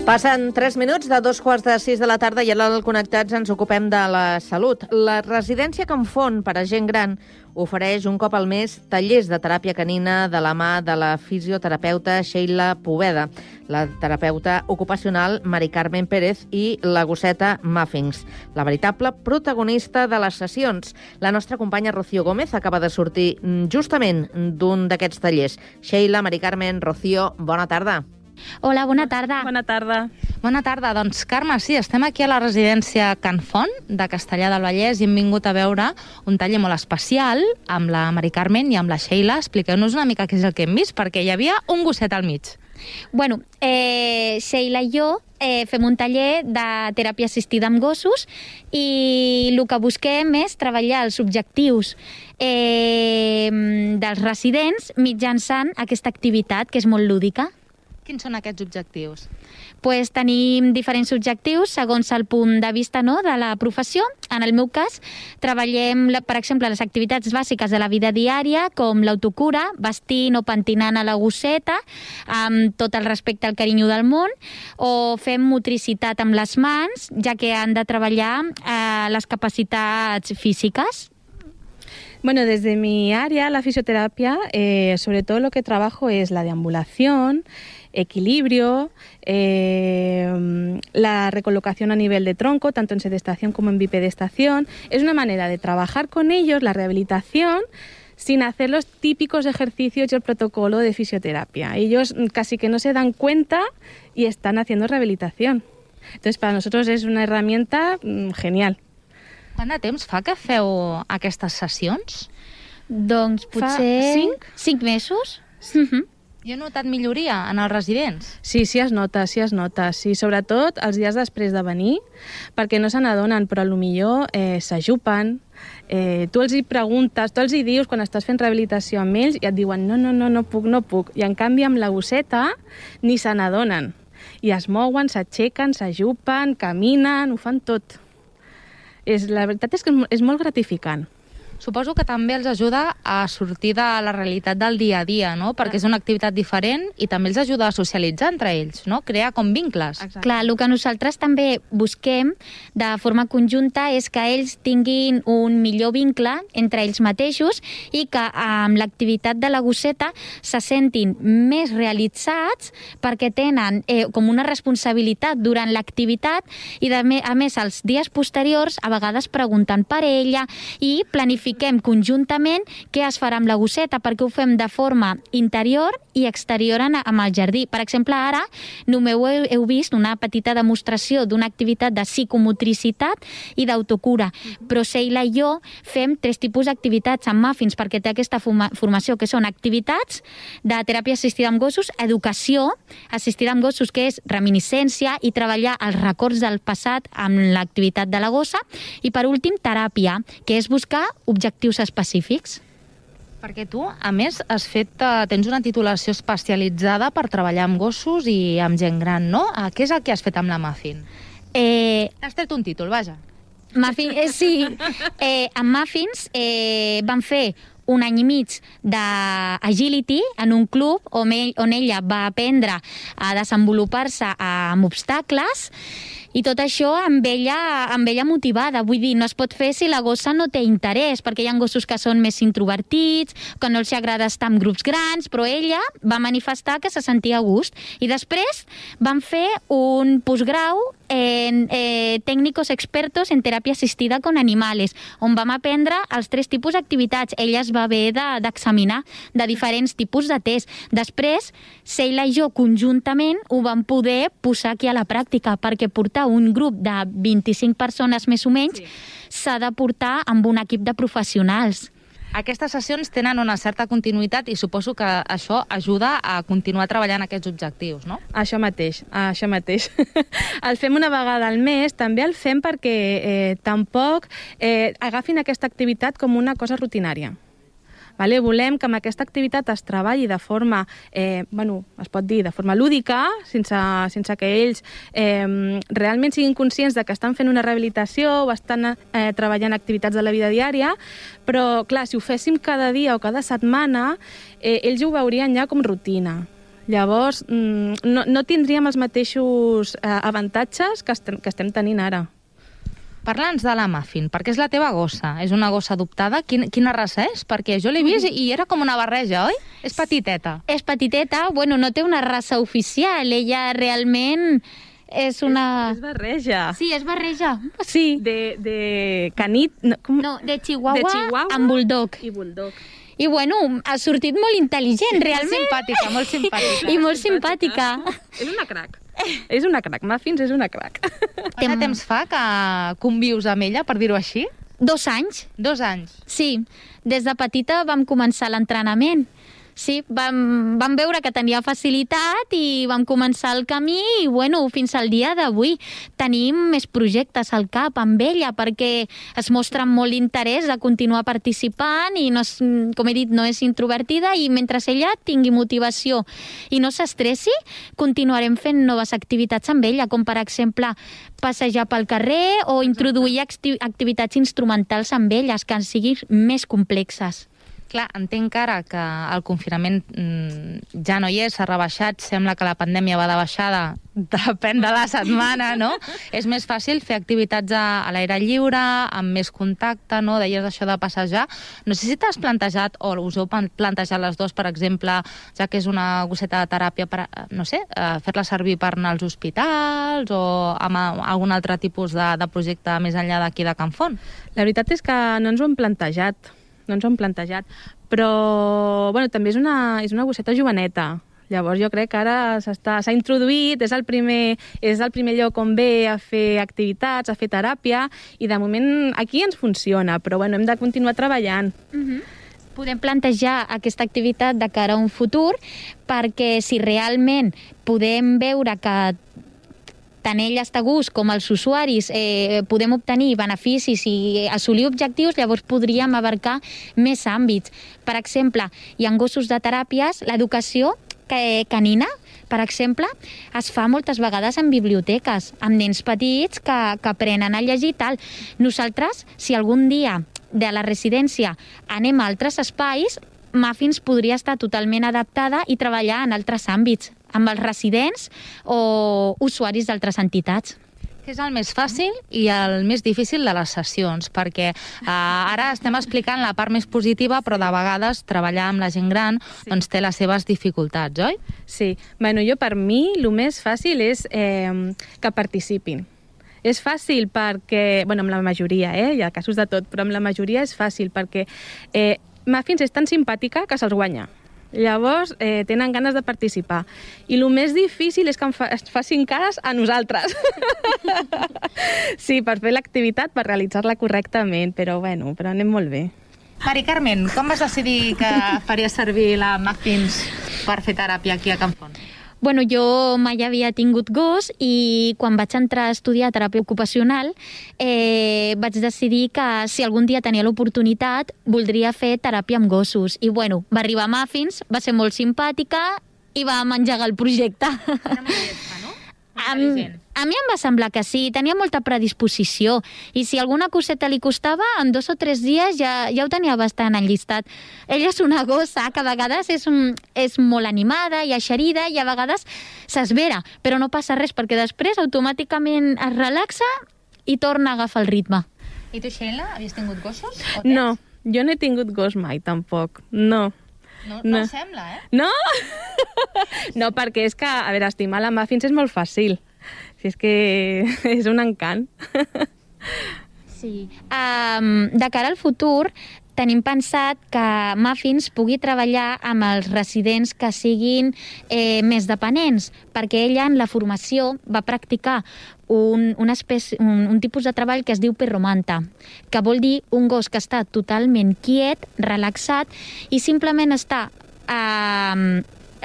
Passen 3 minuts de 2:15 de la tarda i ara al Connectats ens ocupem de la salut. La residència Can Font per a gent gran ofereix un cop al mes tallers de teràpia canina de la mà de la fisioterapeuta Sheila Poveda, la terapeuta ocupacional Mari Carmen Pérez i la gosseta Muffins, la veritable protagonista de les sessions. La nostra companya Rocío Gómez acaba de sortir justament d'un d'aquests tallers. Sheila, Mari Carmen, Rocío, bona tarda. Hola, bona tarda. Bona tarda. Bona tarda. Doncs, Carme, sí, estem aquí a la residència Can Font de Castellar del Vallès i hem vingut a veure un taller molt especial amb la Mari Carmen i amb la Sheila. Expliqueu-nos una mica què és el que hem vist, perquè hi havia un gosset al mig. Bueno, Sheila i jo fem un taller de teràpia assistida amb gossos i el que busquem és treballar els objectius dels residents mitjançant aquesta activitat, que és molt lúdica. Quins són aquests objectius? Pues tenim diferents objectius segons el punt de vista, no, de la professió. En el meu cas, treballem, per exemple, les activitats bàsiques de la vida diària, com l'autocura, vestint o pentinant a la gosseta, amb tot el respecte al carinyo del món, o fem motricitat amb les mans, ja que han de treballar les capacitats físiques. Bueno, desde mi área, la fisioterapia, sobre todo lo que trabajo es la deambulación, equilibrio, la recolocación a nivel de tronco, tanto en sedestación como en bipedestación. Es una manera de trabajar con ellos la rehabilitación sin hacer los típicos ejercicios y el protocolo de fisioterapia. Ellos casi que no se dan cuenta y están haciendo rehabilitación. Entonces, para nosotros es una herramienta genial. Quant de temps fa que feu aquestes sessions? Doncs potser 5 mesos. I he notat milloria en els residents? Sí, sí es nota. Sí, sobretot els dies després de venir, perquè no se n'adonen, però potser s'ajupen. Tu els hi preguntes, tu els hi dius quan estàs fent rehabilitació amb ells i et diuen no puc. I en canvi amb la gosseta ni se n'adonen. I es mouen, s'aixequen, s'ajupen, caminen, ho fan tot. La veritat és que és molt gratificant. Suposo que també els ajuda a sortir de la realitat del dia a dia, no? Perquè és una activitat diferent i també els ajuda a socialitzar entre ells, no? Crear com vincles. Exacte. Clar, el que nosaltres també busquem de forma conjunta és que ells tinguin un millor vincle entre ells mateixos i que amb l'activitat de la gosseta se sentin més realitzats perquè tenen com una responsabilitat durant l'activitat i a més els dies posteriors a vegades pregunten per ella i planifiquem conjuntament què es farà amb la gosseta, perquè ho fem de forma interior i exterior amb el jardí. Per exemple, ara només heu vist una petita demostració d'una activitat de psicomotricitat i d'autocura, però Sheila i jo fem 3 tipus d'activitats amb Muffins, perquè té aquesta formació, que són activitats de teràpia assistida amb gossos, educació assistida amb gossos, que és reminiscència i treballar els records del passat amb l'activitat de la gossa, i per últim, teràpia, que és buscar objectius específics. Perquè tu, a més, tens una titulació especialitzada per treballar amb gossos i amb gent gran, no? Què és el que has fet amb la Muffin? Has tret un títol, vaja. Sí. Amb Muffins vam fer un any i mig d'agility en un club on ella va aprendre a desenvolupar-se amb obstacles i tot això amb ella motivada. Vull dir, no es pot fer si la gossa no té interès, perquè hi ha gossos que són més introvertits, que no els agrada estar en grups grans, però ella va manifestar que se sentia a gust. I després van fer un postgrau en técnicos expertos en teràpia assistida con animales, on vam aprendre els 3 tipus d'activitats. Ella es va haver d'examinar de diferents tipus de test. Després, Sheila i jo conjuntament ho vam poder posar aquí a la pràctica, perquè portar un grup de 25 persones més o menys s'ha de portar amb un equip de professionals. Aquestes sessions tenen una certa continuïtat i suposo que això ajuda a continuar treballant aquests objectius, no? Això mateix. El fem una vegada al mes, també el fem perquè tampoc agafin aquesta activitat com una cosa rutinària. Vale? Volem que amb aquesta activitat es treballi de forma, es pot dir, de forma lúdica, sense que ells realment siguin conscients de que estan fent una rehabilitació o estan treballant activitats de la vida diària, però clar, si ho féssim cada dia o cada setmana, ells ho veurien ja com rutina. Llavors, no tindríem els mateixos avantatges que estem tenint ara. Parla'ns de la Muffin, perquè és la teva gossa. És una gossa adoptada. Quina raça és? Perquè jo l'he vist i era com una barreja, oi? És petiteta. És petiteta, bueno, no té una raça oficial. Ella realment és una... És barreja. Sí, és barreja. Sí, de canit... No, de Chihuahua amb Bulldog. I Bulldog. I bueno, ha sortit molt intel·ligent, realment. Molt simpàtica. I molt simpàtica. És una crac. És una crac. Muffins és una crac. Quant temps fa que convius amb ella, per dir-ho així? 2 anys. 2 anys. Sí, des de petita vam començar l'entrenament. Sí, vam veure que tenia facilitat i vam començar el camí i, bueno, fins al dia d'avui tenim més projectes al cap amb ella perquè es mostra molt interès de continuar participant i, no és, com he dit, no és introvertida i mentre ella tingui motivació i no s'estressi, continuarem fent noves activitats amb ella, com per exemple passejar pel carrer o introduir activitats instrumentals amb elles que siguin més complexes. Clar, entenc ara que el confinament ja no hi és, s'ha rebaixat, sembla que la pandèmia va de baixada, depèn de la setmana, no? És més fàcil fer activitats a l'aire lliure, amb més contacte, no? Deies això de passejar. No sé si t'has plantejat, o us heu plantejat les dues, per exemple, ja que és una gosseta de teràpia, per, no sé, fer-la servir per anar als hospitals o amb algun altre tipus de projecte més enllà d'aquí de Can Font? La veritat és que no ens ho hem plantejat. Però bueno, també és una gosseta joveneta. Llavors jo crec que ara s'ha introduït, és el primer lloc on ve a fer activitats, a fer teràpia, i de moment aquí ens funciona, però bueno, hem de continuar treballant. Podem plantejar aquesta activitat de cara a un futur perquè si realment podem veure que tant ella està a gust com els usuaris podem obtenir beneficis i assolir objectius, llavors podríem abarcar més àmbits. Per exemple, hi ha gossos de teràpies, l'educació canina, per exemple, es fa moltes vegades en biblioteques, amb nens petits que aprenen a llegir i tal. Nosaltres, si algun dia de la residència anem a altres espais, Muffins podria estar totalment adaptada i treballar en altres àmbits, amb els residents o usuaris d'altres entitats. Què és el més fàcil i el més difícil de les sessions? Perquè ara estem explicant la part més positiva, però de vegades treballar amb la gent gran doncs té les seves dificultats, oi? Sí. Bueno, per mi el més fàcil és que participin. És fàcil perquè, bueno, amb la majoria, hi ha casos de tot, però amb la majoria és fàcil perquè Muffins és tan simpàtica que se'ls guanya. Llavors, tenen ganes de participar. I el més difícil és que es facin cares a nosaltres. Sí, per fer l'activitat, per realitzar-la correctament, però bueno, però anem molt bé. Mari Carmen, com vas decidir que faries servir la Muffins per fer teràpia aquí a Can Font? Bueno, jo mai havia tingut gos i quan vaig entrar a estudiar teràpia ocupacional vaig decidir que si algun dia tenia l'oportunitat voldria fer teràpia amb gossos. I bueno, va arribar Muffins, va ser molt simpàtica i vam engegar el projecte. Era molt llesta, no? A mi em va semblar que sí, tenia molta predisposició i si alguna coseta li costava, en 2 o 3 dies ja ho tenia bastant enllistat. Ella és una gossa que a vegades és molt animada i eixerida i a vegades s'esvera, però no passa res perquè després automàticament es relaxa i torna a agafar el ritme. I tu, Sheila, havies tingut gossos? No, jo no he tingut gos mai, tampoc. No. No sembla, No? No, perquè és que, a veure, estimar la Muffins és molt fàcil. Si és que és un encant. Sí. De cara al futur, tenim pensat que Muffins pugui treballar amb els residents que siguin més dependents, perquè ella en la formació va practicar un tipus de treball que es diu perromanta, que vol dir un gos que està totalment quiet, relaxat i simplement està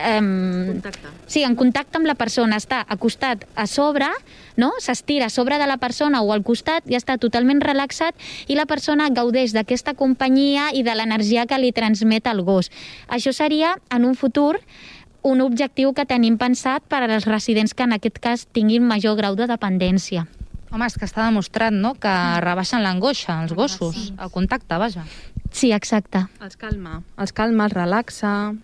en contacte amb la persona, està acostat a sobre, no? S'estira a sobre de la persona o al costat i està totalment relaxat i la persona gaudeix d'aquesta companyia i de l'energia que li transmet el gos. Això seria, en un futur, un objectiu que tenim pensat per als residents que en aquest cas tinguin major grau de dependència. Home, és que està demostrat, no?, que rebaixen l'angoixa, els gossos, el contacte, vaja. Sí, exacte. Els calma, els relaxa.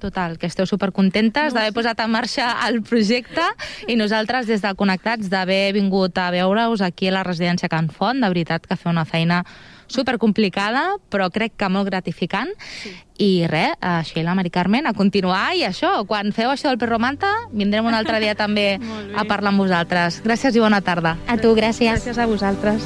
Total, que esteu supercontentes d'haver posat en marxa el projecte i nosaltres des de Connectats d'haver vingut a veure-us aquí a la residència Can Font. De veritat que feu una feina supercomplicada, però crec que molt gratificant. I res, Sheila, Mari Carmen, a continuar, i això, quan feu això del Perromanta, vindrem un altre dia també a parlar amb vosaltres. Gràcies i bona tarda. A tu, gràcies. Gràcies a vosaltres.